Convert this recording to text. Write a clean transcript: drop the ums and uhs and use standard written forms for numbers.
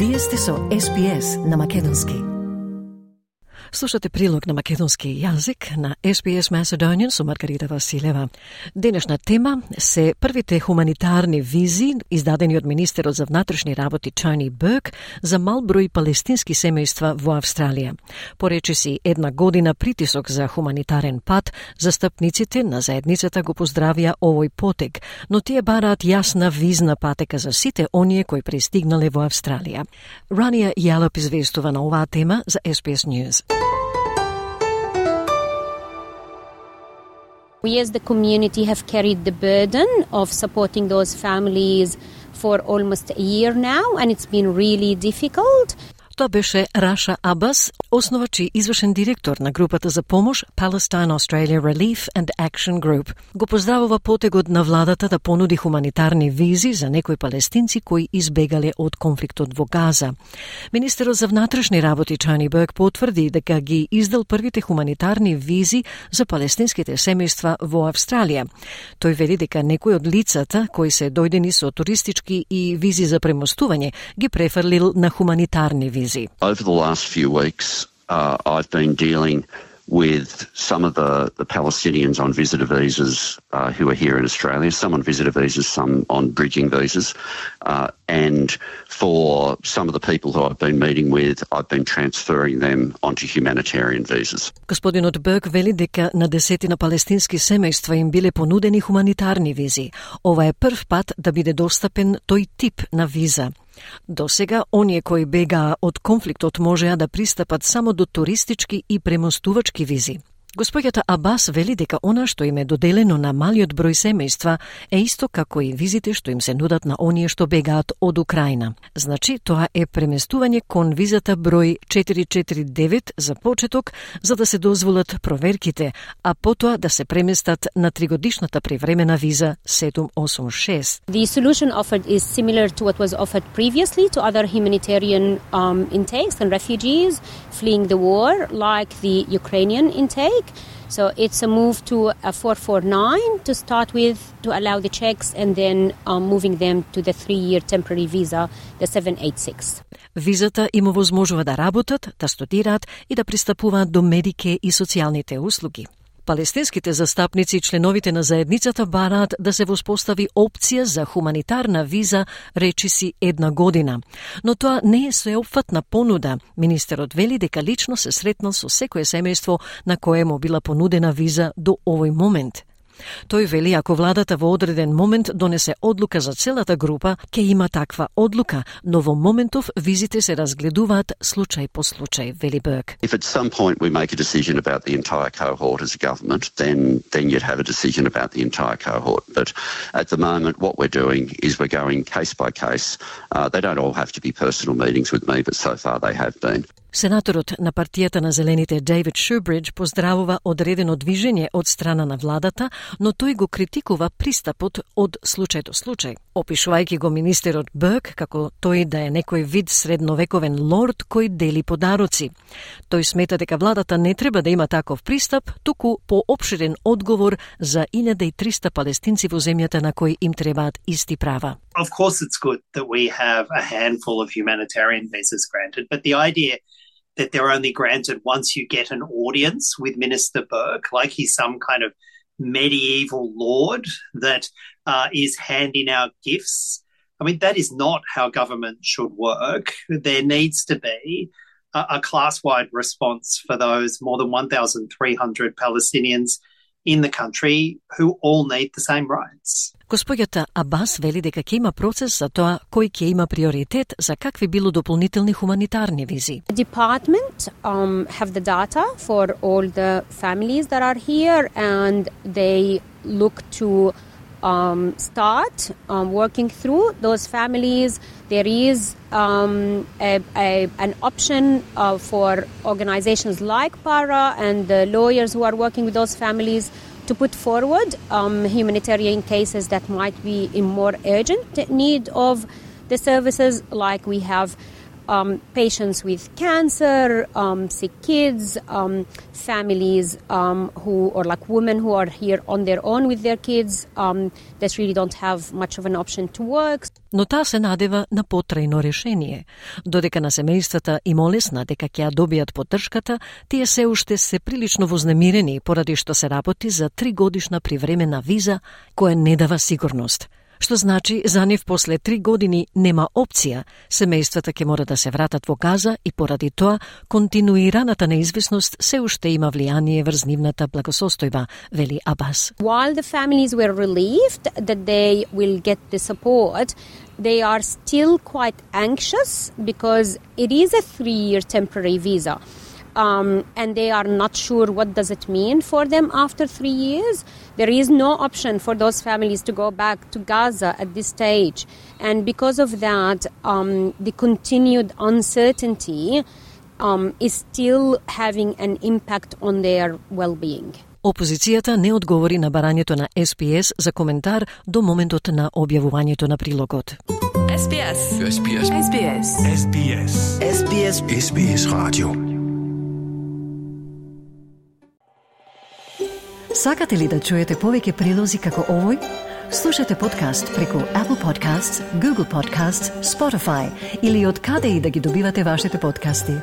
Вие сте со SPS на македонски. Слушате прилог на македонски јазик на SPS Macedonian со Маргарита Василева. Денешна тема се првите хуманитарни визи издадени од министерот за внатрешни работи Тони Бурк за мал број палестински семејства во Австралија. Поречиси една година притисок за хуманитарен пат, застапниците на заедницата го поздравија овој потег, но тие бараат јасна визна патека за сите оние кои пристигнале во Австралија. Рания Јалап известува на оваа тема за SPS News. We as the community have carried the burden of supporting those families for almost a year now, and it's been really difficult. Тоа беше Раша Абас, основач и извршен директор на групата за помош Palestine Australia Relief and Action Group. Го поздравува потегот на владата да понуди хуманитарни визи за некои палестинци кои избегале од конфликтот во Газа. Министерот за внатрешни работи Тони Бурк потврди дека ги издал првите хуманитарни визи за палестинските семејства во Австралија. Тој вели дека некои од лицата кои се дојдени со туристички и визи за премостување ги префрлил на хуманитарни визи. Over the last few weeks, I've been dealing with some of the Palestinians on visitor visas who are here in Australia, some on visitor visas, some on bridging visas. And for some of the people who I've been meeting with, I've been transferring them onto humanitarian visas. Господинот Бурк вели дека на десетина палестински семејства им биле понудени хуманитарни визи. Ова е прв пат да биде достапен тој тип на виза. До сега, оние кои бегаа од конфликтот можеа да пристапат само до туристички и премостувачки визи. Господјата Абас вели дека она што им е доделено на малиот број семејства е исто како и визите што им се нудат на оние што бегаат од Украина. Значи, тоа е преместување кон визата број 449 за почеток, за да се дозволат проверките, а потоа да се преместат на 3-годишната привремена виза 786. The solution offered is similar to what was offered previously to other humanitarian intakes and refugees fleeing the war, like the Ukrainian intake. So it's a move to a 449 to start with, to allow the checks, and then moving them to the 3-year temporary visa, the 786. Визата им овозможува да работат, да студираат и да пристапуваат до медике и социјалните услуги. Палестинските застапници и членовите на заедницата бараат да се воспостави опција за хуманитарна виза речиси една година. Но тоа не е сеопфатна понуда. Министерот вели дека лично се сретнал со секое семејство на кое му била понудена виза до овој момент. Тој вели ако владата во одреден момент донесе одлука за целата група, ќе има таква одлука, но во моментов визите се разгледуваат случај по случај, вели Бурк. If at some point we make a decision about the entire cohort as a government, then you'd have a decision about the entire cohort. But at the moment, what we're doing is we're going case by case. They don't all have to be personal meetings with me, but so far they have been. Сенаторот на партијата на зелените Дейвид Шубридж поздравува одредено движење од страна на владата, но тој го критикува пристапот од случај до случај, опишувајќи го министерот Бурк како тој да е некој вид средновековен лорд кој дели подароци. Тој смета дека владата не треба да има таков пристап, туку поопширен одговор за 1300 палестинци во земјата на кои им требаат исти права. Of course it's good that we have a handful of humanitarian visas granted, but the idea that they're only granted once you get an audience with Minister Burke, like he's some kind of medieval lord that is handing out gifts. I mean, that is not how government should work. There needs to be a class-wide response for those more than 1,300 Palestinians in the country who all need the same rights. Господјата Абас вели дека ќе има процес за тоа кој ќе има приоритет за какви било дополнителни хуманитарни визи. The department have the data for all the families that are here, and they look to start working through those families. There is an option for organizations like PARA and the lawyers who are working with those families to put forward humanitarian cases that might be in more urgent need of the services, like we have patients with cancer, sick kids, families or like women who are here on their own with their kids that really don't have much of an option to work. Но таа се надева на потрајно решение. Додека на семејствата им олесна дека ќе ја добијат поддршката, тие се уште се прилично вознемирени поради што се работи за 3-годишна привремена виза која не дава сигурност. Што значи за нив после 3 години нема опција, семејствата ќе мора да се вратат во Газа и поради тоа континуираната неизвестност се уште има влијание врз нивната благосостојба, вели Абас. While the families were relieved that they will get the support, they are still quite anxious because it is a 3-year temporary visa. And they are not sure what does it mean for them after 3 years. There is no option for those families to go back to Gaza at this stage. And because of that, the continued uncertainty is still having an impact on their well-being. Опозицијата не одговори на барањето на SPS за коментар до моментот на објавувањето на прилогот. SBS. SBS. SBS. SBS. SBS. SBS Radio. Сакате ли да чуете повеќе прилози како овој? Слушате подкаст преку Apple Podcasts, Google Podcasts, Spotify или од каде и да ги добивате вашите подкасти.